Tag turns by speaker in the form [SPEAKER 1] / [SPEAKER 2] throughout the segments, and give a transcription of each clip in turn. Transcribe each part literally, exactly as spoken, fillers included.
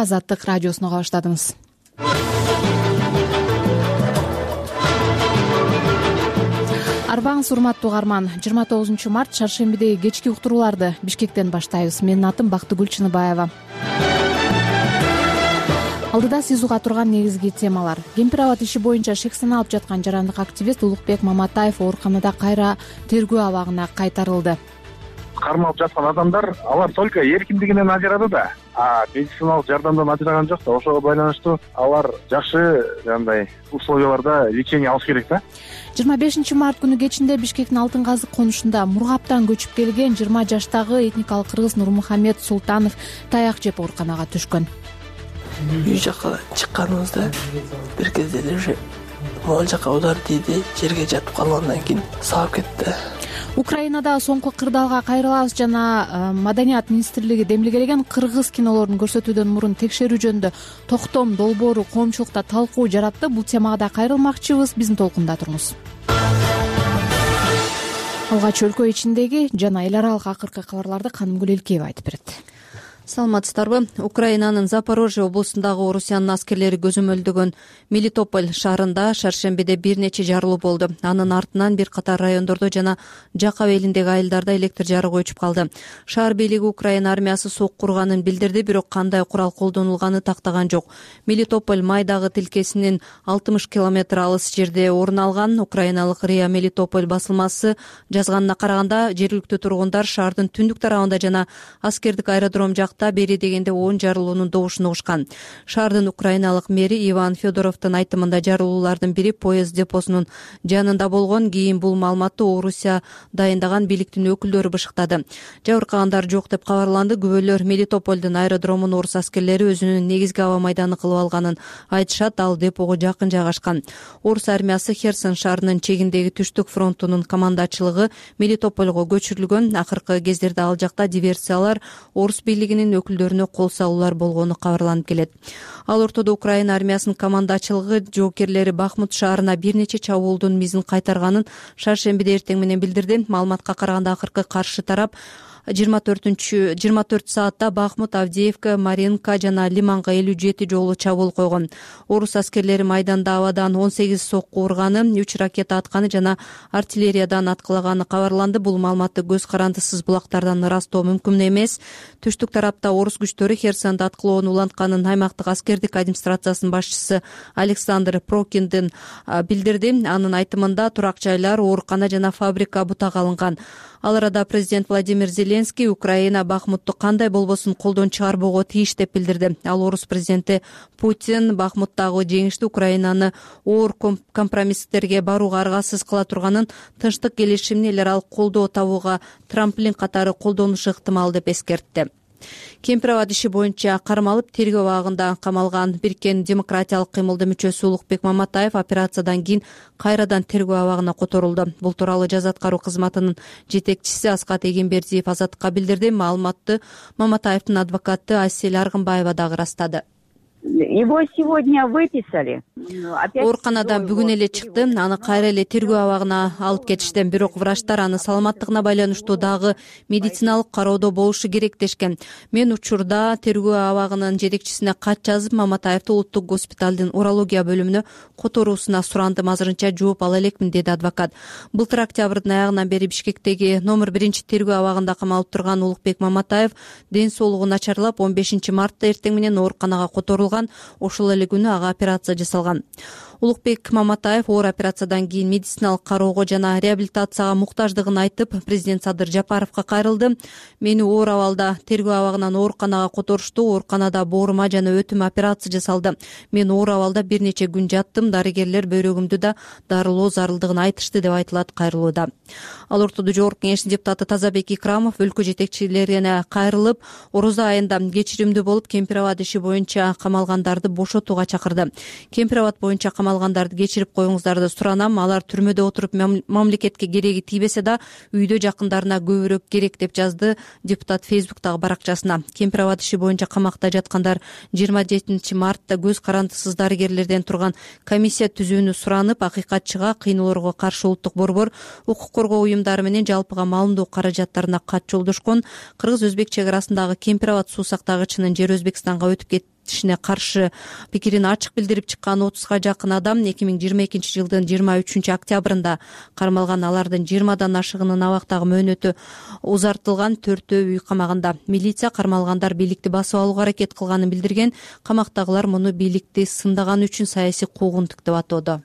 [SPEAKER 1] Азаттык радиосуна уга баштадыңыз. Арбаңыз урматтуу угарман. жыйырма тогузунчу март шаршембидеги кечки уктурууларды Бишкектен баштайбыз. Менин атым Бактыгүл Чыныбаева. Алдыда сиз уга турган негизги темалар. Кемпир абад иши боюнча шек саналып жаткан жарандык активист Улукбек Маматаев ооруканада кайра тергөө абагына кайтарылды.
[SPEAKER 2] Кармалып жаткан адамдар алар только эркиндигинен ажырады да, а медициналык жардамдан ажыраган жок да. Ошого байланыштуу алар жакшы жандай условияларда лечение алыш керек да.
[SPEAKER 1] жыйырма бешинчи март күнү кечинде Бишкектин Алтын казык конушунда Мургаптан көчүп келген жыйырма жаштагы этникалык кыргыз Нурмухамед Султанов таяк жеп ооруканага түшкөн.
[SPEAKER 3] Үй жака чыкканыбызда бир кезде уже могул жака удар тийди, жерге жатып калгандан кийин сабап кетти.
[SPEAKER 1] Украинада соңку кырдаалга кайрылабыз жана Маданият министрлиги демилгелеген кыргыз кинолорун көрсөтүүдөн мурун текшерүү жөнүндө токтом долбоору коомчулукта талкуу жаратты. Бул темага да кайрылмакчыбыз. Биздин толкунда туруңуз. Алгач өлкө ичиндеги жана эл аралык акыркы кабарларды Канымгүл Элкеева айтып берет.
[SPEAKER 4] Саламатсыздарбы? Украинанын Запорожье облусундагы Орусиянын аскерлери көзөмөлдөгөн Мелитополь шаарында шаршембиде бир нече жарылуу болду. Анын артынан бир катар райондордо жана Жакап элиндеги айылдарда электр жарыгы өчүп калды. Шаар бийлиги Украина армиясы сок курганын билдирди, бирок кандай курал колдонулганы тактаган жок. Мелитополь Майдагы тилкесинин алтымыш километр алыс жерде орун алган. Украиналык РИА Мелитополь басылмасы жазганына караганда, жергиликтүү тургундар шаардын түндүк тарабында жана аскердик аэродром жакта бери дегенде он жарылуунун добушун угушкан. Шаардын украиналык мэри Иван Федоровдун айтымында жарылуулардын бири поезд депосунун жанында болгон. Кийин бул маалыматты Орусия дайындаган бийликтин өкүлдөрү бышыктады. Жабыркагандар жок деп кабарланды. Күбөлөр Мелитопольдун аэродромун орус аскерлери өзүнүн негизги аба майданы кылып алганын айтышат. Ал депого жакын жайгашкан. Орус армиясы Херсон шаарынын чегиндеги түштүк фронтунун командачылыгы Мелитопольго көчүрүлгөн. Акыркы кездерде ал жакта диверсиялар, орус бийлигинин өкүлдөрүнө кол салуулар болгону кабарланып келет. Ал ортодо Украина армиясынын командачылыгы жоокерлери Бахмут шаарына бир нече чабуулдун мизин кайтарганын шаршембиде эртең менен билдирди. Маалыматка караганда акыркы каршы тарап жыйырма төртүнчү жыйырма төрт саатта Бахмут, Авдеевка, Маринка жана Лиманга элүү жети жолу чабуул койгон. Орус аскерлери майданда абадан он сегиз сокку урганы, үч ракета атканы жана артиллериядан аткылаганы кабарланды. Бул маалыматты көз карандысыз булактардан ырастоо мүмкүн эмес. Түштүк тарапта орус күчтөрү Херсонду аткылоону улантканын аймактык аскердик администрациясынын башчысы Александр Прокиндин билдирди. Анын айтымында турак жайлар, оорукана жана фабрика бутага алынган. Ал арада президент Владимир Зеленский Украина Бахмутту кандай болбосун колдон чыгарбоого тийиш деп билдирди. Ал орус президенти Путин Бахмуттагы жеңиштүү Украинаны оор компромисстерге барууга аргасыз кыла турганын, тынчтык келишимин эл аралык колдоо табууга трамплин катары колдонушу ыктымал деп эскертти. Кемпир абад иши боюнча кармалып тергөө абагында камалган Бириккен демократиялык кыймылдын мүчөсү Улукбек Маматаев операциядан кийин кайрадан тергөө абагына которулду. Бул тууралуу жаза аткаруу кызматынын жетекчиси Аскат Эгембердиев Азаттыкка билдирди. Маалыматты Маматаевдин адвокаты Асель Аргынбаева дагы ырастады.
[SPEAKER 5] Его сегодня выписали.
[SPEAKER 4] Ооруканадан бүгүн эле чыкты. Аны кайра эле тергөө абагына алып кетишти. Бирок врачтар аны саламаттыгына байланыштуу дагы медициналык кароодо болушу керек дешкен. Мен учурда тергөө абагынын жетекчисине кат жазып, Маматаевди улуттук госпиталдын урология бөлүмүнө которуусуна сурандым. Азырынча жооп ала элекмин, деди адвокат. Былтыр октябрдын аягынан бери Бишкектеги номер биринчи тергөө абагында камалып турган Улукбек Маматаев ден соолугу начарлап, он бешинчи мартта эртең менен ооруканага которулган. Ошол эле күнү ага операция жасалган. Улукбек Маматаев оор операциядан кийин медициналык кароого жана реабилитацияга муктаждыгын айтып, президент Садыр Жапаровго кайрылды. Мени оор абалда тергөө абагынан ооруканага которушту. Ооруканада боорума жана өтүм операция жасалды. Мен оор абалда бир нече күн жаттым. Дарыгерлер бөйрөгүмдү да дарылоо зарылдыгын айтышты деп айтылат кайрылууда. Ал ортодо Жогорку Кеңештин депутаты Тазабек Икрамов өлкө жетекчилерине кайрылып, орозо айында кечиримдүү болуп кемпир абад иши боюнча камалгандарды бошотууга чакырды. Кемпир абад боюнча камалгандарды кечирип коюңуздарды суранам. Алар түрмөдө отуруп мамлекетке кереги тийбесе да үйдө жакындарына көбүрөөк керек деп жазды депутат Фейсбуктагы баракчасына. Кемпир абад иши боюнча камакта жаткандар жыйырма жетинчи мартта көз карандысыз дарыгерлерден турган комиссия түзүүнү суранып, акыйкатчыга кыйноолорго каршы улуттук борбор, укук коргоо уюмдары менен жалпыга маалымдоо каражаттарына кат жолдошкон. Кыргыз-өзбек чек арасындагы Кемпир абад суу сактагычынын жери Өзбекстанга өтүп бекитишине каршы пикирин ачык билдирип чыккан отузга жакын адам эки миң жыйырма экинчи жылдын жыйырма үчүнчү октябрында кармалган. Алардын жыйырмадан ашыгынын абактагы мөөнөтү узартылган, төртөө үй камагында. Милиция кармалгандар бийликти басып алууга аракет кылганын билдирген. Камактагылар муну бийликти сындаган үчүн саясий куугунтук деп атоодо.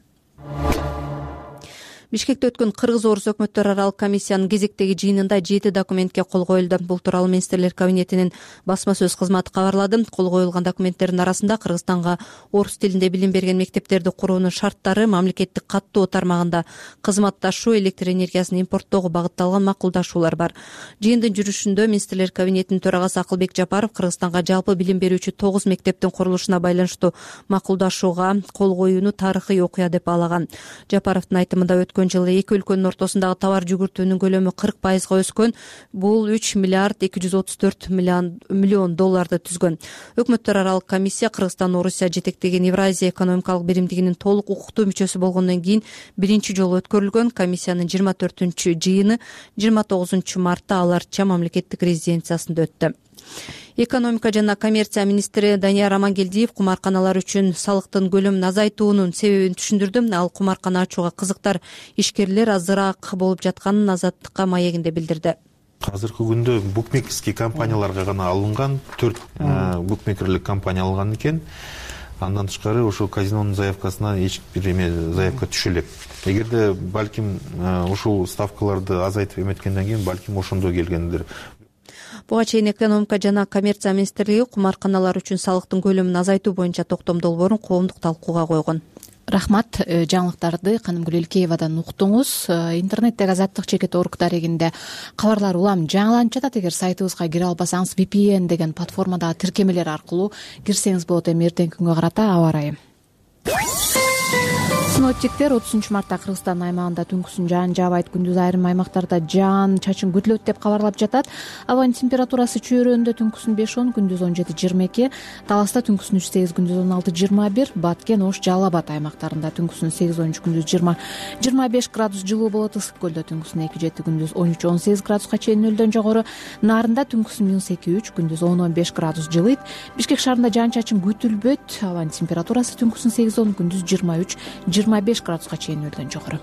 [SPEAKER 4] Бишкекте өткөн кыргыз-орус өкмөттөр аралык комиссиянын кезектеги жыйынында жети документке кол коюлду. Бул тууралуу министрлер кабинетинин басма сөз кызматы кабарлады. Кол коюлган документтердин арасында Кыргызстанга орус тилинде билим берген мектептерди куруунун шарттары, мамлекеттик каттоо тармагында кызматташуу, электр энергиясын импорттоого багытталган макулдашуулар бар. Жыйындын жүрүшүндө министрлер кабинетинин төрагасы Акылбек Жапаров Кыргызстанга жалпы билим берүүчү тогуз мектептин курулушуна байланыштуу макулдашууга кол коюуну тарыхый окуя деп баалаган. Жапаровдун айтымында өткөн жылы эки өлкөнүн ортосундагы товар жүгүртүүнүн көлөмү кырк пайызга өскөн. Бул үч миллиард эки жүз отуз төрт миллион долларды түзгөн. Өкмөттөр аралык комиссия Кыргызстан Орусия жетектеген Евразия экономикалык биримдигинин толук укуктуу мүчөсү болгондон кийин биринчи жолу өткөрүлгөн. Комиссиянын жыйырма төртүнчү жыйыны жыйырма тогузунчу мартта Аларча мамлекеттик резиденциясында өттү. Экономика жана коммерция министри Данияр Амангелдиев кумарканалар үчүн салыктын көлөмүн азайтуунун себебин түшүндүрдү. Ал кумаркана ачууга кызыктар ишкерлер азыраак болуп жатканын Азаттыкка маегинде билдирди.
[SPEAKER 6] Азыркы күндө букмекерский компанияларга гана алынган, төрт букмекерлик компания алган экен. Андан тышкары ошол казинонун заявкасына эч бир эме заявка түшө элек. Эгерде балким ушул ставкаларды азайтып эметкенден кийин балким ошондо келгендир.
[SPEAKER 4] Буга чейин экономика жана коммерция министрлиги кумарканалар үчүн салыктын көлөмүн азайтуу боюнча токтом долбоорун коомдук талкууга койгон.
[SPEAKER 1] Рахмат. Жаңылыктарды Канымгүл Элкеевадан уктуңуз. Интернеттеги Азаттык чекит орг дарегинде кабарлар улам жаңыланып жатат. Эгер сайтыбызга кире албасаңыз ви пи эн деген платформадагы тиркемелер аркылуу кирсеңиз болот. Эми эртеңки күнгө карата аба ырайы. Синоптиктер отузунчу мартта Кыргызстан аймагында түнкүсүн жаан жаабайт, күндүз айрым аймактарда жаан чачын күтүлөт деп кабарлап жатат. Абанын температурасы чөйрөндө түнкүсүн беш он, күндүз он жети жыйырма эки, Таласта түнкүсүн үч сегиз, күндүз он алты жыйырма бир, Баткен, Ош, Жалал Абад аймактарында түнкүсүн сегиз он үч, күндүз жыйырма жыйырма беш градус жылуу болот. Ысык көлдө түнкүсүн эки жети, күндүз он үч он сегиз градуска чейин нөлдөн жогору. Нарында түнкүсүн минус эки үч, күндүз он он беш градус жылыйт. Бишкек шаарында жаан чачын күтүлбөйт. Абанын температурасы түнкүсүн сегиз он, күндүз жыйырма үч жыйырма беш градуска чейин нөлдөн жогору.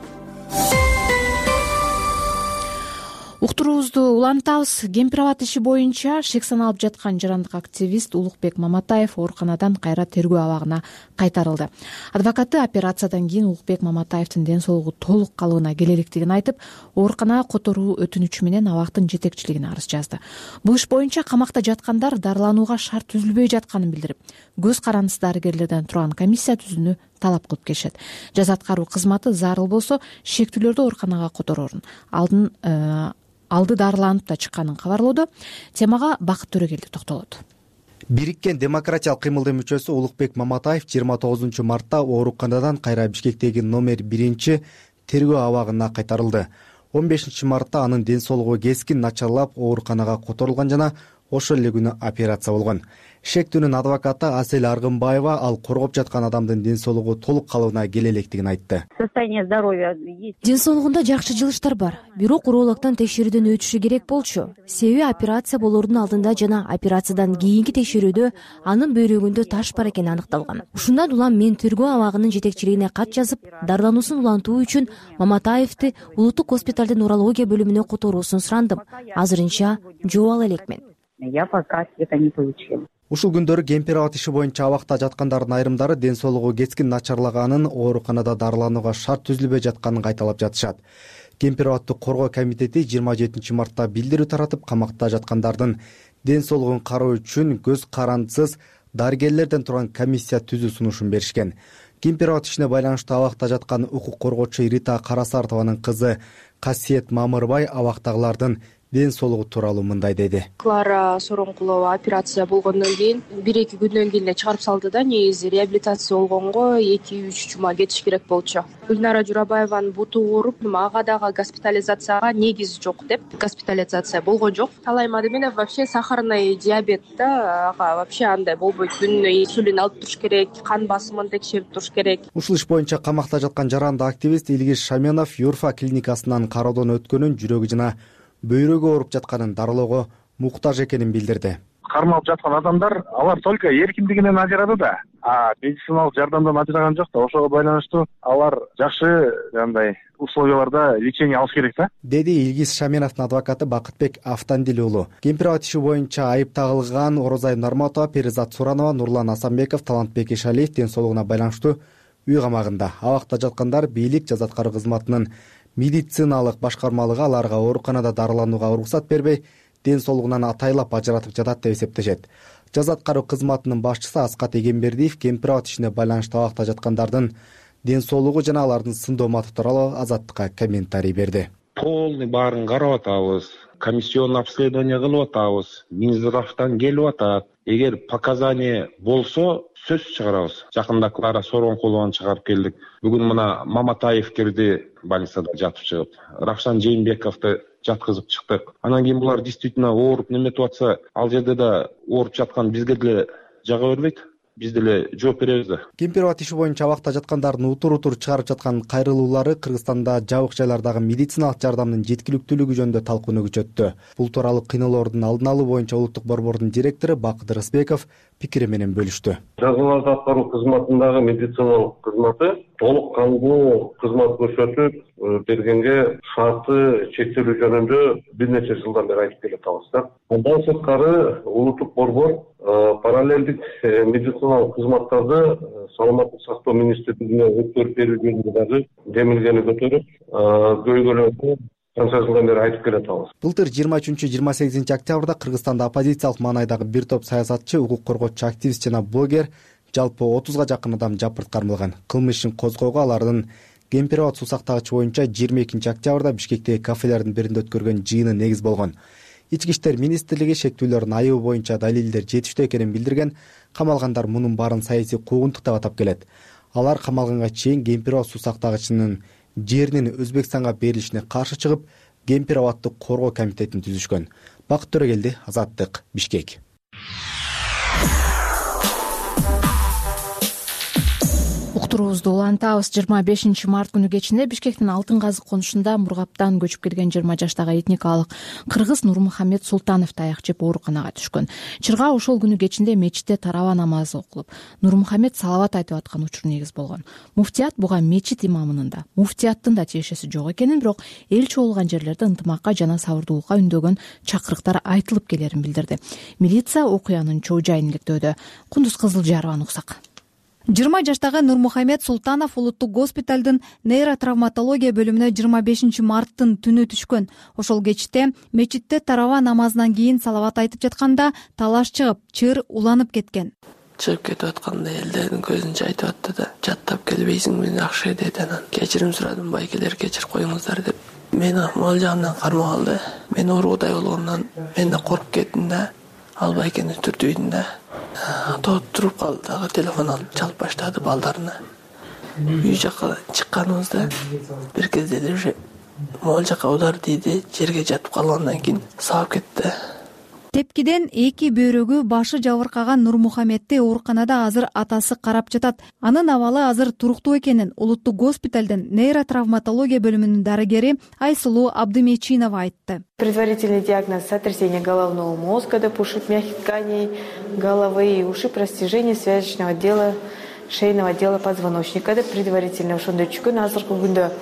[SPEAKER 1] Уктуруубузду улантабыз. Кемпир абад иши боюнча шек саналып жаткан жарандык активист Улукбек Маматаев ооруканадан кайра тергөө абагына кайтарылды. Адвокаты операциядан кийин Улукбек Маматаевдин ден соолугу толук калыбына келе электигин айтып, ооруканага которуу өтүнүчү менен абактын жетекчилигине арыз жазды. Бул иш боюнча камакта жаткандар дарыланууга шарт түзүлбөй жатканын билдирип, көз карандысы дарыгерлерден турган комиссия түзүүнү талап кылып келишет. Жаза аткаруу кызматы зарыл болсо шектүүлөрдү ооруканага которорун, алдын алды дарыланып да чыкканын кабарлоодо. Темага Бакыт Төрөгелди токтолот.
[SPEAKER 7] Бириккен демократиялык кыймылдын мүчөсү Улукбек Маматаев жыйырма тогузунчу мартта ооруканадан кайра Бишкектеги номер биринчи тергөө абагына кайтарылды. он бешинчи мартта анын ден соолугу кескин начарлап ооруканага которулган жана ошол эле күнү операция болгон. Шектүүнүн адвокаты Асель Аргынбаева ал коргоп жаткан адамдын ден соолугу толук калыбына келе электигин айтты.
[SPEAKER 5] Состояние здоровья есть.
[SPEAKER 8] Ден соолугунда жакшы жылыштар бар. Бирок урологдон текшерүүдөн өтүшү керек болчу. Себеби операция болоордун алдында жана операциядан кийинки текшерүүдө анын бөйрөгүндө таш бар экени аныкталган. Ушундан улам мен тергөө абагынын жетекчилигине кат жазып, дарылануусун улантуу үчүн Маматаевди улуттук госпиталдын урология бөлүмүнө которуусун сурандым. Азырынча жооп ала элекмин.
[SPEAKER 5] Я пока ответа не получила.
[SPEAKER 7] Ушул күндөрү кемпир абад иши боюнча абакта жаткандардын айрымдары ден соолугу кескин начарлаганын, ооруканада дарыланууга шарт түзүлбөй жатканын кайталап жатышат. Кемпир абадты коргоо комитети жыйырма жетинчи мартта билдирүү таратып, камакта жаткандардын ден соолугун кароо үчүн көз карандысыз дарыгерлерден турган комиссия түзүү сунушун беришкен. Кемпир абад ишине байланыштуу абакта жаткан укук коргоочу Рита Карасартованын кызы Касиет Мамырбай абактагылардын ден соолугу тууралуу мындай деди.
[SPEAKER 9] Клара Сороңкулова операция болгондон кийин бир эки күндөн кийин эле чыгарып салды да. Негизи реабилитация болгонго эки үч жума кетиш керек болчу. Гүлнара Журабаеванын буту ооруп, ага дагы госпитализацияга негиз жок деп госпитализация болгон жок. Талай Мадеминов вообще сахарный диабет да, ага вообще андай болбойт. Күнүнө инсулин алып туруш керек, кан басымын текшерип туруш керек.
[SPEAKER 7] Ушул иш боюнча камакта жаткан жарандык активист Илгиз Шаменов Юрфа клиникасынан кароодон өткөнүн, жүрөгү жана бөйрөгү ооруп жатканын, дарылоого муктаж экенин билдирди.
[SPEAKER 2] кармалып жаткан адамдар алар только эркиндигинен ажырады да, а медициналык жардамдан ажыраган жок да. Ошого байланыштуу алар жакшы андай условияларда лечение алыш керек да,
[SPEAKER 7] деди Илгиз Шаменовдун адвокаты Бакытбек Автандил уулу. Кемпирабад иши боюнча айып тагылган Орозай Норматова, Перизат Суранова, Нурлан Асанбеков, Талантбек Ишалиев ден соолугуна байланыштуу үй камагында. Абакта жаткандар бийлик жаза аткаруу кызматынын медициналык башкармалыгы аларга ооруканада дарыланууга уруксат бербей, ден соолугунан атайлап ажыратып жатат деп эсептешет. Жаза аткаруу кызматынын башчысы Аскат Эгембердиев Кемпирабад ишине байланыштуу абакта жаткандардын ден соолугу жана алардын сындооматы тууралуу Азаттыкка комментарий берди.
[SPEAKER 10] Полный баарын карап атабыз, комиссионный обследование кылып атабыз, Минздравтан келип атат. Эгер показания болсо сөз чыгарабыз. Жакында Клара Сооронкулованы чыгарып келдик. Бүгүн мына Маматаев кирди, больницада жатып чыгып. Равшан Жээнбековду жаткызып чыктык. Анан кийин булар действительно ооруп неметип атса, ал жерде да ооруп жаткан бизге деле жага бербейт. Биз деле жооп беребиз да.
[SPEAKER 7] Кемпирабад иши боюнча абакта жаткандардын утур-утур чыгарып жаткан кайрылуулары Кыргызстанда жабык жайлардагы медициналык жардамдын жеткиликтүүлүгү жөнүндө талкууну күчөттү. Бул тууралуу кыйноолордун алдын алуу боюнча улуттук борбордун директору Бакыт Рысбеков пикири менен бөлүштү.
[SPEAKER 11] Жазаларды аткаруу кызматындагы медициналык кызматы толук кандуу кызмат көрсөтүп бергенге шарты чектелүү жөнүндө бир нече жылдан бери айтып келе атабыз да. Андан сырткары улуттук борбор параллелдик медициналык кызматтарды саламаттык сактоо министрлигине өткөрүп берүү жөнүндө дагы демилгени көтөрүп, көйгөйлөрдү канча жылдан бери айтып келе атабыз.
[SPEAKER 7] Былтыр жыйырма үчүнчү жыйырма сегизинчи октябрда Кыргызстанда оппозициялык маанайдагы бир топ саясатчы, укук коргоочу активист жана блогер жалпы отузга жакын адам жапырт кармалган. Кылмыш ишин козгоого алардын Кемпирабад суу сактагычы боюнча жыйырма экинчи октябрда Бишкектеги кафелердин биринде өткөргөн жыйыны негиз болгон. Ички иштер министрлиги шектүүлөрдүн айыбы боюнча далилдер жетиштүү экенин билдирген. Камалгандар мунун баарын саясий куугунтук деп атап келет. Алар камалганга чейин Кемпирабад суу сактагычынын жеринин Өзбекстанга берилишине каршы чыгып, Кемпирабадды коргоо комитетин түзүшкөн. Бакыт Төрөгелди, Азаттык, Бишкек.
[SPEAKER 1] Уктуруубузду улантабыз. жыйырма бешинчи март күнү кечинде Бишкектин Алтын казык конушунда Мургаптан көчүп келген жыйырма жаштагы этникалык кыргыз Нурмухамед Султанов таяк жеп ооруканага түшкөн. Чырга ошол күнү кечинде мечитте тарава намазы окулуп, Нурмухамед салават айтып аткан учур негиз болгон. Муфтият буга мечит имамынын да, муфтияттын да тиешеси жок экенин, бирок эл чогулган жерлерде ынтымакка жана сабырдуулукка үндөгөн чакырыктар айтылып келерин билдирди. Милиция окуянын чоо жайын иликтөөдө. Кундуз Кызылжарованы уксак.
[SPEAKER 4] жыйырма жаштагы Нурмухамед Султанов улуттук госпиталдын нейротравматология бөлүмүнө жыйырма бешинчи марттын түнү түшкөн. Ошол кечте мечитте тарава намазынан кийин салават айтып жатканда талаш чыгып, чыр уланып кеткен.
[SPEAKER 3] Чыгып кетип атканда элдердин көзүнчө айтып атты да, жаттап келбейсиңби, жакшы деди. Анан кечирим сурадым, байкелер кечирип коюңуздар деп. Мени могул жагымдан кармап алды. Мен оорудай болгондон мен да коркуп кеттим да. Ал байкени түртүйдүм да. Тоот туруп калды дагы, телефон алып чалып баштады балдарына. Үй жака чыкканыбызда бир кезде эле уже могул жака удар тийди, жерге жатып калгандан кийин сабап кетти.
[SPEAKER 4] Тепкиден эки бөйрөгү башы жабыркаган Нурмухамедти ооруканада азыр атасы карап жатат. Анын абалы азыр туруктуу экенин улуттук госпиталдын нейротравматология бөлүмүнүн дарыгери Айсулуу Абдымечинова айтты.
[SPEAKER 12] Предварительный диагноз — сотрясение головного мозга деп ушиб мягких тканей головы и ушиб растяжение связочного отдела шейного отдела позвоночника деп предварительно ошондой түшкөн. Азыркы күндө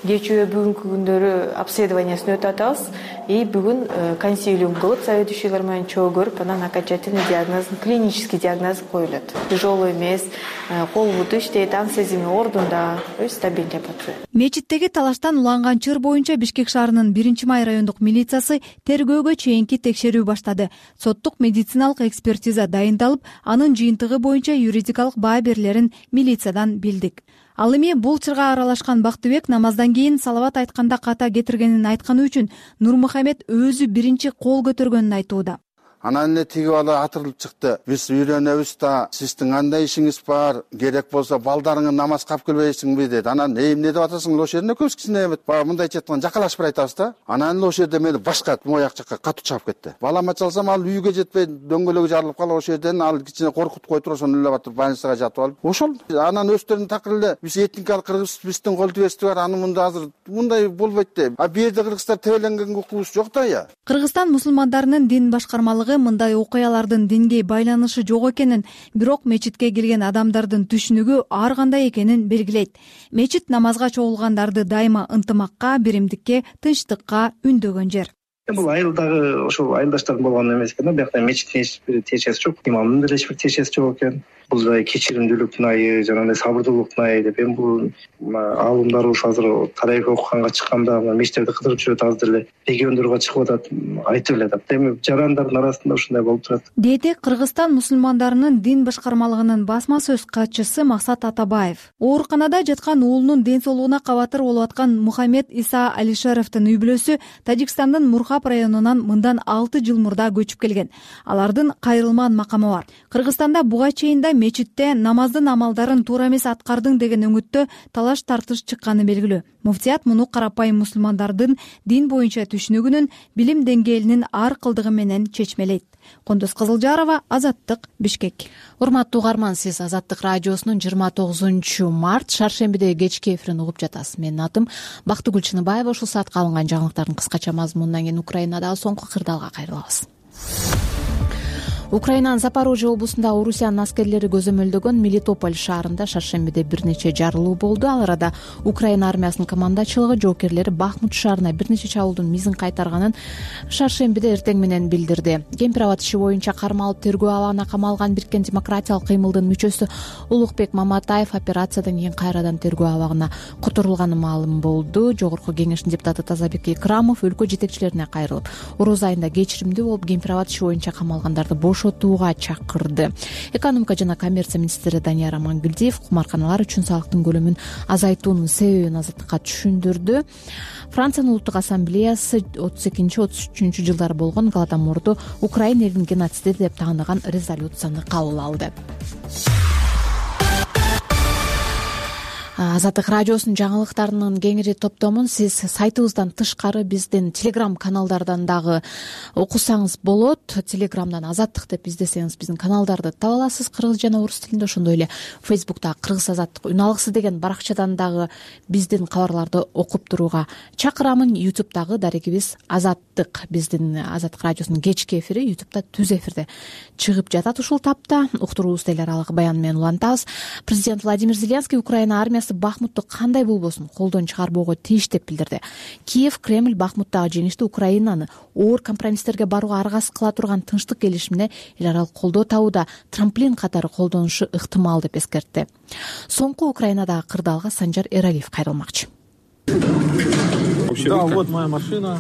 [SPEAKER 12] кечээ бүгүнкү күндөрү обследованиясын өтүп атабыз. И бүгүн консилиум кылып, заведующийлер менен чогуу көрүп, анан окончательный диагноз, клинический диагноз коюлат. Тяжелый эмес, кол буту иштейт, анестезия ордунда, стабильный деп атышат.
[SPEAKER 4] Мечиттеги талаштан уланган чыр боюнча Бишкек шаарынын биринчи май райондук милициясы тергөөгө чейинки текшерүү баштады. Соттук медициналык экспертиза дайындалып, анын жыйынтыгы боюнча юридикалык баа берилерин милициядан билдик. Ал эми бул чырга аралашкан Бактыбек намаздан кийин салават айтканда ката кетиргенин айтканы үчүн Нурмухамед өзү биринчи кол көтөргөнүн айтууда.
[SPEAKER 13] Анан эле тиги бала атырылып чыкты. Биз үйрөнөбүз да, сиздин кандай ишиңиз бар? Керек болсо балдарыңы намазга алып келбейсиңби деди. Анан эмне деп атасың? Ошол жерде көз кичине эмет. Баягы мындайча айтканда жакалашып бир айтабыз да. Анан ошол жерде мени башка мояк жакка катуу чаап кетти. Балама чалсам ал үйгө жетпей дөңгөлөгү жарылып калып ошол жерден ал кичине коркутуп коюп туруп ошону элеп атып больницага жатып алып. Ошол анан өздөрүнүн такыр эле биз этникалык кыргыз, биздин кол тибести бар. Аны мында азыр мындай болбойт деп. А бу жерде кыргыздар тебеленгенге укугубуз жок да я.
[SPEAKER 4] Кыргызстан мусулмандарынын дин башкармалыгы
[SPEAKER 14] дагы мындай окуялардын динге байланышы жок экенин, бирок мечитке кирген адамдардын түшүнүгү ар кандай экенин белгилейт. Мечит намазга чогулгандарды дайыма ынтымакка, биримдикке, тынчтыкка үндөгөн жер.
[SPEAKER 15] Бул айыл дагы ошол айылдаштардын болгону эмес экен да. Биякта мечиттин эч бир тиешеси жок, имамдын деле эч бир тиешеси жок экен. Бул жай кечиримдүүлүктүн айы, жанагындай сабырдуулуктун айы деп. Эми бул аалымдар ушу азыр тарайкы окуганга чыкканда мечиттерди кыдырып жүрөт, азыр деле региондорго чыгып атат, айтып эле атат. Эми жарандардын арасында ушундай болуп турат.
[SPEAKER 14] Деди Кыргызстан мусулмандарынын дин башкармалыгынын басма сөз катчысы Максат Атабаев. Ооруканада жаткан уулунун ден соолугуна кабатыр болуп аткан Мухаммед Иса Алишеровдун үй бүлөсү Тажикстандын Мурхаб районунан мындан алты жыл мурда көчүп келген. Алардын кайрылман макамы бар. Кыргызстанда буга чейин да мечитте намаздын амалдарын туура эмес аткардың деген үмүттө талаш тартыш чыкканы белгилүү. Муфтият муну карапайым мусулмандардын дин боюнча түшүнүгүнүн, билим деңгээлинин ар кылдыгы менен чечмелейт. Кондос Кызылжарова, Азаттык, Бишкек.
[SPEAKER 1] Урматтуу угарман, сиз Азаттык радиосунун жыйырма тогузунчу март шаршембиде кечки эфирин угуп жатасыз. Менин атым Бактыгүл Чыныбаева. Ушул саатка алынган жаңылыктардын кыскача мазмунунан кийин Украинадагы соңку кырдаалга кайрылабыз. Украинанын Запорожье облусунда Орусиянын аскерлери көзөмөлдөгөн Мелитополь шаарында шаршембиде бир нече жарылуу болду. Ал арада Украина армиясынын командачылыгы жоокерлери Бахмут шаарына бир нече чабуулдун мизин кайтарганын шаршембиде эртең менен билдирди. Кемпирабад иши боюнча кармалып тергөө абагына камалган Бириккен демократиялык кыймылдын мүчөсү Улукбек Маматаев операциядан кийин кайрадан тергөө абагына которулганы маалым болду. Жогорку кеңештин депутаты Тазабек Экрамов өлкө жетекчилерине кайрылып, ороз айында кечиримдүү болуп Кемпирабад иши боюнча камалгандарды бошотууга чакырды. Экономика жана коммерция министри Данияр Амангелдиев кумарканалар үчүн салыктын көлөмүн азайтуунун себебин Азаттыкка түшүндүрдү. Франциянын улуттук ассамблеясы отуз экинчи отуз үчүнчү жылдары болгон Голодоморду Украина элинин геноциди деп тааныган резолюцияны кабыл алды. Азаттык радиосунун жаңылыктарынын кеңири топтомун сиз сайтыбыздан тышкары биздин телеграм каналдардан дагы окусаңыз болот. Телеграмдан Азаттык деп издесеңиз биздин каналдарды таба аласыз кыргыз жана орус тилинде. Ошондой эле Фейсбукта Кыргыз Азаттык үн алгысы деген баракчадан дагы биздин кабарларды окуп турууга чакырамын. Ютубтагы дарегибиз Азаттык, биздин Азаттык радиосунун кечки эфири Ютубта түз эфирде чыгып жатат. Ушул тапта уктуруубузду эл аралык баян менен улантабыз. Президент Владимир Зеленский Украина армиясы Бахмутту кандай болбосун колдон чыгарбоого тийиш деп билдирди. Киев Кремль Бахмуттагы жеңишти Украинаны оор компромисстерге барууга аргасыз кыла турган тынчтык келишимине эл аралык колдоо табууда трамплин катары колдонушу ыктымал деп эскертти. Соңку Украинадагы кырдаалга Санжар Эралиев кайрылмакчы.
[SPEAKER 16] Да, вот моя машина.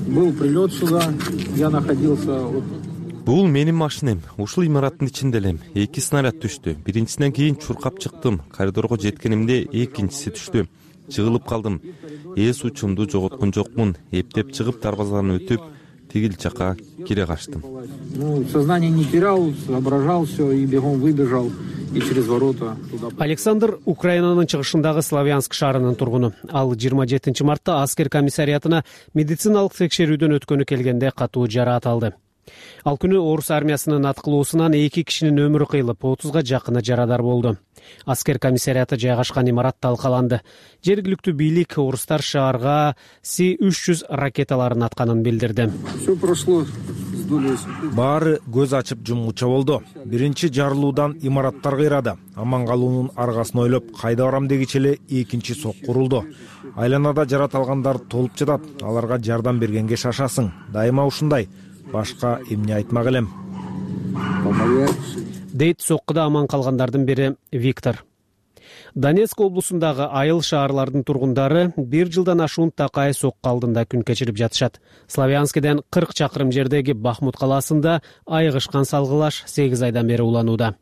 [SPEAKER 16] Был прилет сюда. Я находился.
[SPEAKER 17] Бул менин машинем. Ушул имараттын ичинде элем. Эки снаряд түштү. Биринчисинен кийин чуркап чыктым. Коридорго жеткенимде экинчиси түштү. Жыгылып калдым. Эс учумду жоготкон жокмун. Эптеп чыгып дарбазаны өтүп, тигил жака кире качтым.
[SPEAKER 16] Ну, сознание не терял, соображал все и бегом выбежал. И через ворота туда.
[SPEAKER 18] Александр Украинанын чыгышындагы Славянск шаарынын тургуну. Ал жыйырма жетинчи мартта аскер комиссариатына медициналык текшерүүдөн өткөнү келгенде катуу жараат алды. Ал күнү орус армиясынын аткылоосунан эки кишинин өмүрү кыйылып, отузга жакыны жарадар болду. Аскер комиссариаты жайгашкан имарат талкаланды. Жергиликтүү бийлик орустар шаарга Си үч жүз ракеталарын атканын билдирди.
[SPEAKER 16] Все прошло.
[SPEAKER 19] Баары көз ачып жумгуча болду. Биринчи жарылуудан имараттар кыйрады. Аман калуунун аргасын ойлоп, кайда барам дегиче эле экинчи сок курулду. Айланада жарат алгандар толуп жатат. Аларга жардам бергенге шашасың. Дайыма ушундай. Башка эмне айтмак элем.
[SPEAKER 18] Дейт соккуда аман калгандардын бири Виктор. Донецк облусундагы айыл шаарлардын тургундары бир жылдан ашуун такай сокку алдында күн кечирип жатышат. Славянскиден кырк чакырым жердеги Бахмут калаасында айыгышкан салгылаш сегиз айдан бери уланууда.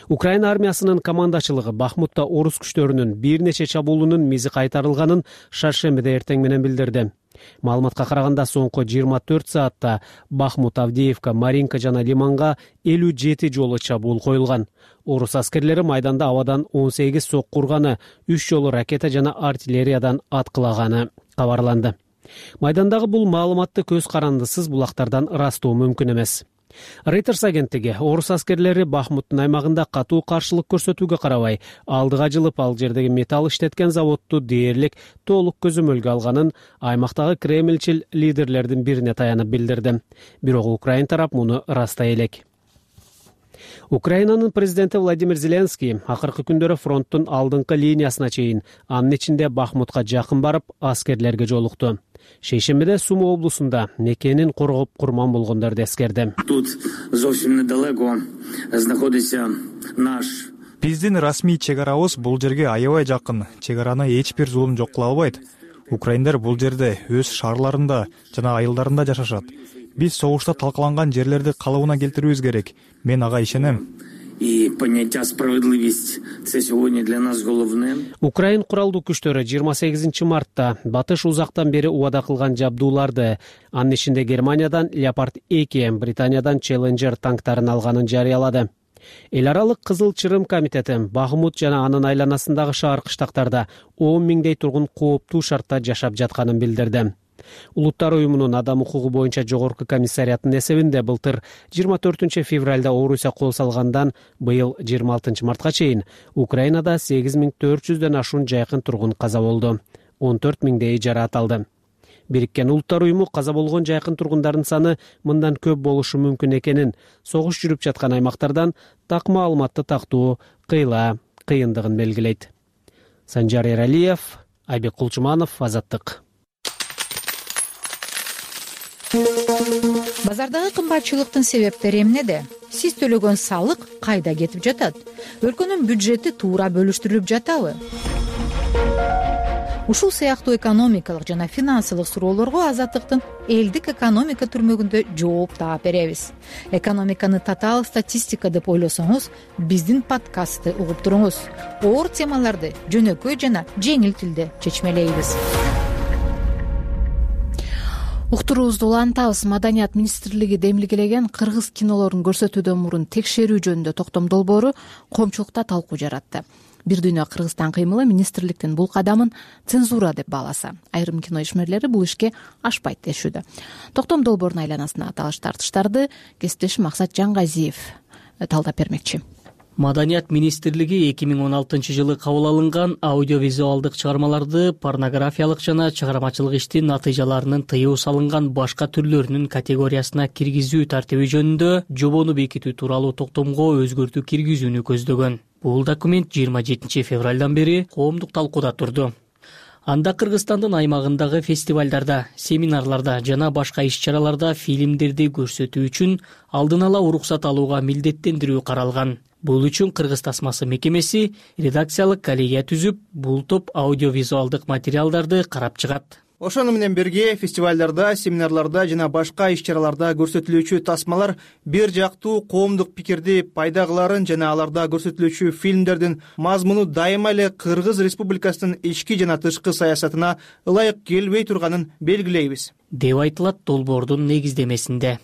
[SPEAKER 18] Украина армиясынын командачылыгы Бахмутта орус күчтөрүнүн бир нече чабуулунун мизи кайтарылганын шаршембиде эртең менен билдирди. Маалыматка караганда соңку жыйырма төрт саатта Бахмут, Авдеевка, Маринка жана Лиманга элүү жети жолу чабуул коюлган. Орус аскерлери майданда абадан он сегиз сок курганы, үч жолу ракета жана артиллериядан аткылаганы кабарланды. Майдандагы бул маалыматты көз карандысыз булактардан ырастоо мүмкүн эмес. Reuters агенттиги орус аскерлери Бахмуттун аймагында катуу каршылык көрсөтүүгө карабай алдыга жылып ал жердеги металл иштеткен заводду дээрлик толук көзөмөлгө алганын аймактагы кремльчил лидерлердин бирине таянып билдирди. Бирок Украин тарап муну растай элек. Украинанын президенти Владимир Зеленский акыркы күндөрү фронттун алдыңкы линиясына чейин, анын ичинде Бахмутка жакын барып, аскерлерге жолукту. Шейшембиде Сумы облусунда мекенин коргоп курман болгондорду эскерди.
[SPEAKER 20] Тут зовсім недалеко знаходиться наш
[SPEAKER 21] Биздин расмий чегарабыз бул жерге аябай жакын. Чегараны эч бир зулум жок кыла албайт. Украиндар бул жерде өз шаарларында жана айылдарында жашашат. Биз согушта талкаланган жерлерди калыбына келтирүүбүз керек. Мен ага ишенем.
[SPEAKER 20] И понятие справедливость це сегодня для нас головне.
[SPEAKER 18] Украин куралдуу күчтөрү жыйырма сегизинчи мартта батыш узактан бери убада кылган жабдууларды, анын ичинде Германиядан Leopard эки, Британиядан Challenger танктарын алганын жарыялады. Эл аралык Кызыл Чырым комитети Бахмут жана анын айланасындагы шаар кыштактарда он миңдей тургун кооптуу шартта жашап жатканын билдирди. Улуттар уюмунун адам укугу боюнча жогорку комиссариятынын эсебинде былтыр жыйырма төртүнчү февралда Орусия кол салгандан быйыл жыйырма алтынчы мартка чейин Украинада сегиз миң төрт жүздөн ашуун жайкын тургун каза болду. он төрт миңдейи жараат алды. Бириккен Улуттар уюму каза болгон жайкын тургундардын саны мындан көп болушу мүмкүн экенин, согуш жүрүп жаткан аймактардан так маалыматты тактоо кыйла кыйындыгын белгилейт. Санжар Эралиев, Айбек Кулчуманов, Азаттык.
[SPEAKER 22] Базардагы кымбатчылыктын себептери эмнеде? Сиз төлөгөн салык кайда кетип жатат? Өлкөнүн бюджети туура бөлүштүрүлүп жатабы? Ушул сыяктуу экономикалык жана финансылык суроолорго Азаттыктын элдик экономика түрмөгүндө жооп таап беребиз. Экономиканы татаал статистика деп ойлосоңуз, биздин подкастты угуп туруңуз. Оор темаларды жөнөкөй жана жеңил тилде чечмелейбиз.
[SPEAKER 1] Уктуруубузду улантабыз. Маданият министрлиги демилгелеген кыргыз кинолорун көрсөтүүдөн мурун текшерүү жөнүндө токтом долбоору коомчулукта талкуу жаратты. Бир дүйнө Кыргызстан кыймылы министрликтин бул кадамын цензура деп бааласа, айрым кино ишмерлери бул ишке ашпайт дешүүдө. Токтом долбоорунун айланасына талаш тартыштарды кесиптешим Максат Жангазиев талдап бермекчи.
[SPEAKER 23] Маданият министрлиги эки миң он алтынчы жылы кабыл алынган аудиовизуалдык чыгармаларды порнографиялык жана чыгармачылык иштин натыйжаларынын тыюу салынган башка түрлөрүнүн категориясына киргизүү тартиби жөнүндө жобону бекитүү тууралуу токтомго өзгөртүү киргизүүнү көздөгөн. Бул документ жыйырма жетинчи февралдан бери коомдук талкууда турду. Анда Кыргызстандын аймагындагы фестивалдарда, семинарларда жана башка иш-чараларда фильмдерди көрсөтүү үчүн алдын ала уруксат алууга милдеттендирүү каралган. Бул үчүн Кыргыз тасмасы мекемеси редакциялык коллегия түзүп, бул топ аудиовизуалдык материалдарды карап чыгат.
[SPEAKER 24] Ошону менен бирге фестивалдарда, семинарларда жана башка иш-чараларда көрсөтүлүүчү тасмалар бир жактуу коомдук пикирди пайда кыларын жана аларда көрсөтүлүүчү фильмдердин мазмуну дайыма эле Кыргыз Республикасынын ички жана тышкы саясатына ылайык келбей турганын белгилейбиз,
[SPEAKER 23] деп айтылат долбоордун негиздемесинде.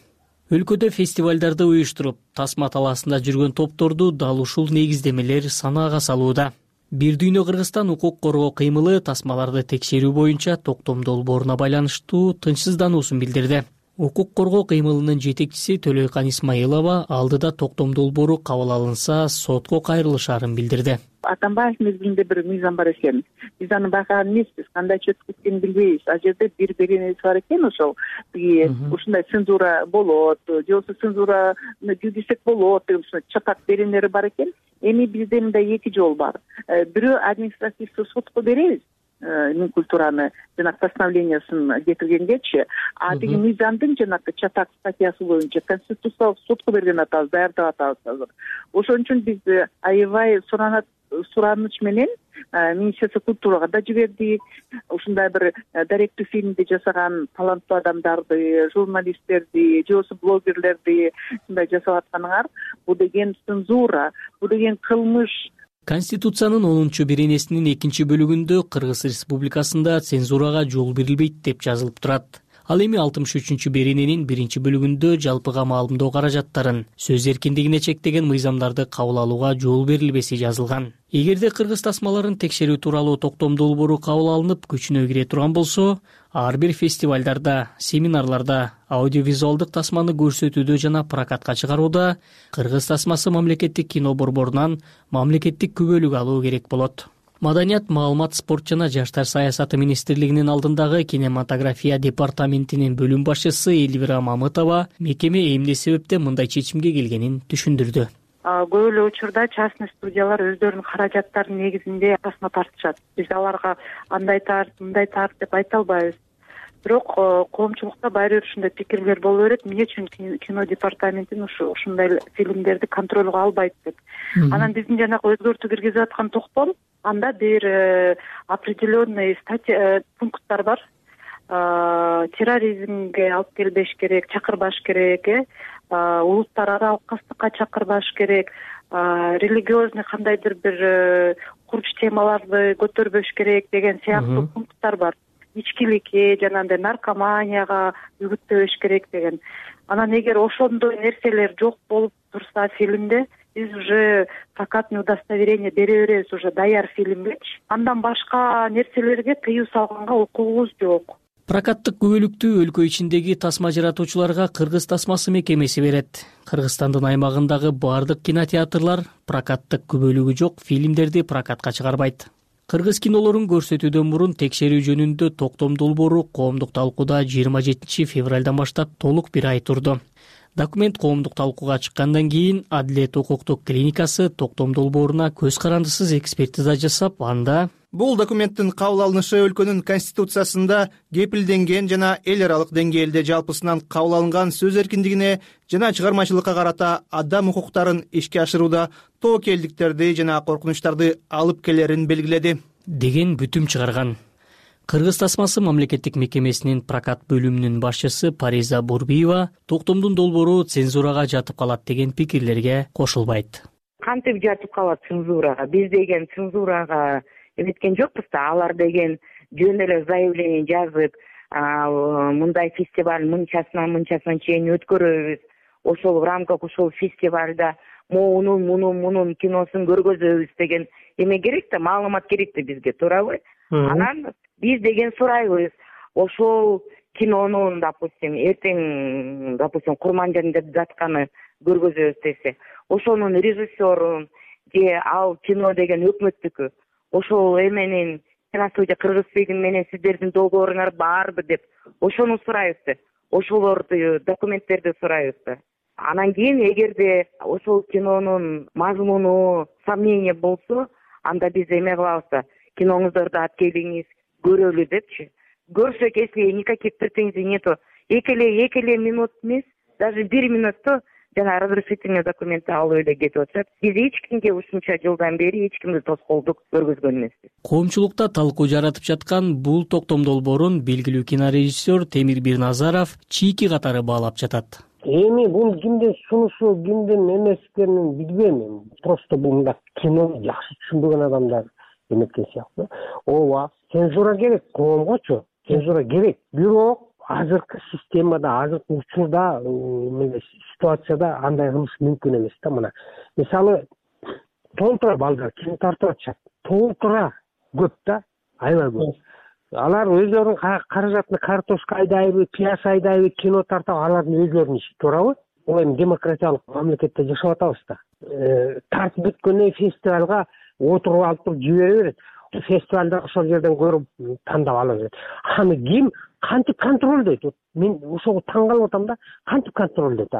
[SPEAKER 23] Өлкөдө фестивалдарды уюштуруп, тасма талаасында жүргөн топторду дал ушул негиздемелер санаага салууда. Бир дүйнө Кыргызстан укук коргоо кыймылы тасмаларды текшерүү боюнча токтом долбооруна байланыштуу тынчсыздануусун билдирди. Укук коргоо кыймылынын жетекчиси Төлөйкан Исмаилова алдыда токтом долбоору кабыл алынса сотко кайрылышаарын билдирди.
[SPEAKER 25] Атамбаев мезгилинде бир мыйзам бар экен. Биз аны байкаган эмеспиз, кандай чөткү экенин билбейбиз. А жерде бир беренеси бар экен, ошол тиги ушундай цензура болот, же болбосо цензураны жүргүзсөк болот деген чатак беренелери бар экен. Эми бизде мындай эки жол бар. Бирөө административдүү сотко беребиз, Минкультураны жанагы постановлениясын кетиргенгечи, а тиги мыйзамдын жанагы чатак статьясы боюнча конституциялык сотко берген атабыз, даярдап атабыз азыр. Ошон үчүн биз аябай суранат сураныч менен Министерство культурага да жибердик. Ушундай бир даректүү фильмди жасаган таланттуу адамдарды, журналисттерди, же болбосо блогерлерди ушундай жасап атканыңар, бул деген цензура, бул деген кылмыш.
[SPEAKER 23] Конституциянын онунчу беренесинин экинчи бөлүгүндө Кыргыз Республикасында цензурага жол берилбейт деп жазылып турат. Ал эми алтымыш үчүнчү берененин биринчи бөлүгүндө жалпыга маалымдоо каражаттарын, сөз эркиндигине чектеген мыйзамдарды кабыл алууга жол берилбеси жазылган. Эгерде кыргыз тасмаларын текшерүү тууралуу токтом долбоору кабыл алынып күчүнө кире турган болсо, ар бир фестивалдарда, семинарларда, аудиовизуалдык тасманы көрсөтүүдө жана прокатка чыгарууда кыргыз тасмасы мамлекеттик кино борборунан мамлекеттик күбөлүк алуу керек болот. Маданият, маалымат, спорт жана жаштар саясаты министрлигинин алдындагы кинематография департаментинин бөлүм башчысы Элвира Мамытова мекеме эмне себептен мындай чечимге келгенин түшүндүрдү.
[SPEAKER 25] Көп эле учурда частный студиялар өздөрүнүн каражаттарынын негизинде тасма тартышат. Биз аларга андай тарт, мындай тарт деп айта албайбыз. Бирок коомчулукта баары бир ушундай пикирлер боло берет. Эмне үчүн кино департаментин ушундай фильмдерди контролго албайт деп. Анан биздин жанагы өзгөртүү киргизип аткан токтом, анда бир определенный статья пункттар бар. Терроризмге алып келбеш керек, чакырбаш керек, э улуттар аралык кастыкка чакырбаш керек, религиозный кандайдыр бир курч темаларды көтөрбөш керек деген сыяктуу пункттар бар. Ичкиликке жана андай наркоманияга үгүттөбөш керек деген. Анан эгер ошондой нерселер жок болуп турса фильмде, биз уже прокатный удостоверение бере беребиз уже даяр фильмгечи. Андан башка нерселерге тыюу салганга укугубуз жок.
[SPEAKER 23] Прокаттык күбөлүктү өлкө ичиндеги тасма жаратуучуларга Кыргыз тасмасы мекемеси берет. Кыргызстандын аймагындагы бардык кинотеатрлар прокаттык күбөлүгү жок фильмдерди прокатка чыгарбайт. Кыргыз кинолорун көрсөтүүдөн мурун текшерүү жөнүндө токтом долбоору коомдук талкууда жыйырма жетинчи февралдан баштап толук бир ай турду. Документ коомдук талкууга чыккандан кийин Адилет укуктук клиникасы токтом долбооруна көз карандысыз экспертиза жасап, анда
[SPEAKER 24] бул документтин кабыл алынышы өлкөнүн конституциясында кепилденген жана эл аралык деңгээлде жалпысынан кабыл алынган сөз эркиндигине жана чыгармачылыкка карата адам укуктарын ишке ашырууда тобокелдиктерди жана коркунучтарды алып келерин белгиледи
[SPEAKER 23] деген бүтүм чыгарган. Кыргыз тасмасы мамлекеттик мекемесинин прокат бөлүмүнүн башчысы Париза Бурбиева токтомдун долбоору цензурага жатып калат деген пикирлерге кошулбайт.
[SPEAKER 2] Кантип жатып калат цензурага? Биз деген цензурага эметкен жокпуз да, алар деген жөн эле заявление жазып, мындай фестиваль мынчасынан мынчасына чейин өткөрөбүз. Ошол в рамках ошол фестивалда моунун мунун мунун киносун көргөзөбүз деген эме керек да, маалымат керек да бизге, туурабы? Анан биз деген сурайбыз, ошол кинонун, допустим, эртең, допустим, Курманжан деп жатканы көргөзөбүз десе, ошонун режиссерун же ал кино деген өкмөттүкү, ошол эменин киностудия Кыргызфильм менен сиздердин долбооруңар барбы деп ошону сурайбыз да, ошолорду документтерди сурайбыз да. Анан кийин эгерде ошол кинонун мазмуну сомнение болсо, анда биз эме кылабыз да, киноңуздорду алып келиңиз, көрөлү депчи. Көрсөк, если никаких претензий нету, эки эле эки эле минут эмес, даже бир минутто жана разрешительный документти алып эле кетип атышат. Биз эч кимге ушунча жылдан бери эч кимди тоскоолдук көргөзгөн эмеспиз.
[SPEAKER 23] Коомчулукта талкуу жаратып жаткан бул токтом долбоорун белгилүү кинорежиссер Темир Бирназаров чийки катары баалап жатат.
[SPEAKER 5] Эми бул кимдин сунушу, кимдин эмескенин билбейм. Просто бул мындай кинону жакшы түшүнбөгөн адамдар эметкен сыяктуу. Ооба, цензура керек коомгочу, цензура керек. Бирок азыркы системада, азыркы учурда, ситуацияда андай кылыш мүмкүн эмес да. Мына мисалы толтура балдар кино тартып атышат. Толтура көп да, аябай көп. Алар өздөрүнүн каражатына картошка айдайбы, пияз айдайбы, кино тартып, алардын өздөрүнүн иши, туурабы? Ол эми демократиялык мамлекетте жашап атабыз да. Тартып бүткөндөн фестивалга отуруп алып туруп жибере берет. Фестивалда ошол жерден көрүп тандап ала берет. Аны ким кантип контролдойт? Мен ошого таң калып атам да, кантип контролдойт?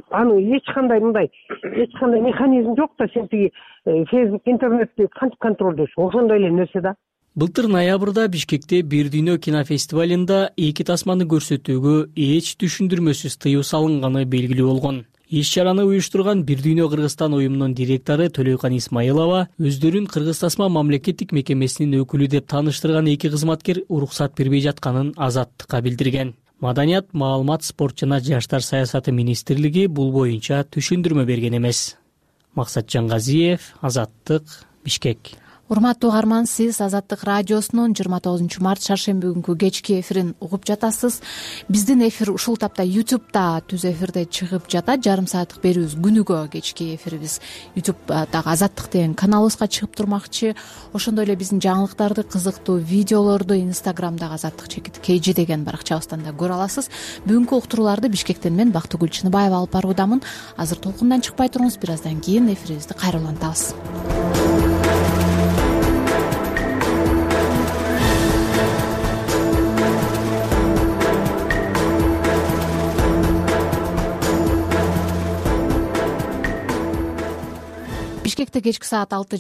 [SPEAKER 5] Аны эч кандай мындай, эч кандай механизм жок да, сен тиги Facebook, интернетти кантип контролдойсуң? Ошондой эле нерсе да.
[SPEAKER 23] Былтыр ноябрда Бишкекте Бир дүйнө кинофестивалында эки тасманы көрсөтүүгө эч түшүндүрмөсүз тыюу салынганы белгилүү болгон. Иш-чараны уюштурган Бир дүйнө Кыргызстан уюмунун директору Төлөйкан Исмаилова өздөрүн Кыргыз тасма мамлекеттик мекемесинин өкүлү деп тааныштырган эки кызматкер уруксат бербей жатканын Азаттыкка билдирген. Маданият, маалымат, спорт жана жаштар саясаты министрлиги бул боюнча түшүндүрмө берген эмес. Максатжан Газиев, Азаттык, Бишкек.
[SPEAKER 1] урматтуу угарман, сиз Азаттык радиосунун жыйырма тогузунчу март шаршемби күнкү кечки эфирин угуп жатасыз. Биздин эфир ушул тапта ютубта түз эфирде чыгып жатат. Жарым сааттык берүүбүз күнүгө кечки эфирибиз ютубдагы Азаттык деген каналыбызга чыгып турмакчы. Ошондой эле биздин жаңылыктарды, кызыктуу видеолорду инстаграмдагы Азаттык чекит kg деген баракчабыздан да көрө аласыз. Бүгүнкү уктурууларды Бишкектен мен Бактыгүл Чыныбаева алып баруудамын. Азыр толкундан чыкпай туруңуз, бир аздан кийин эфирибизди кайра улантабыз. Бишкекте кечки саат алты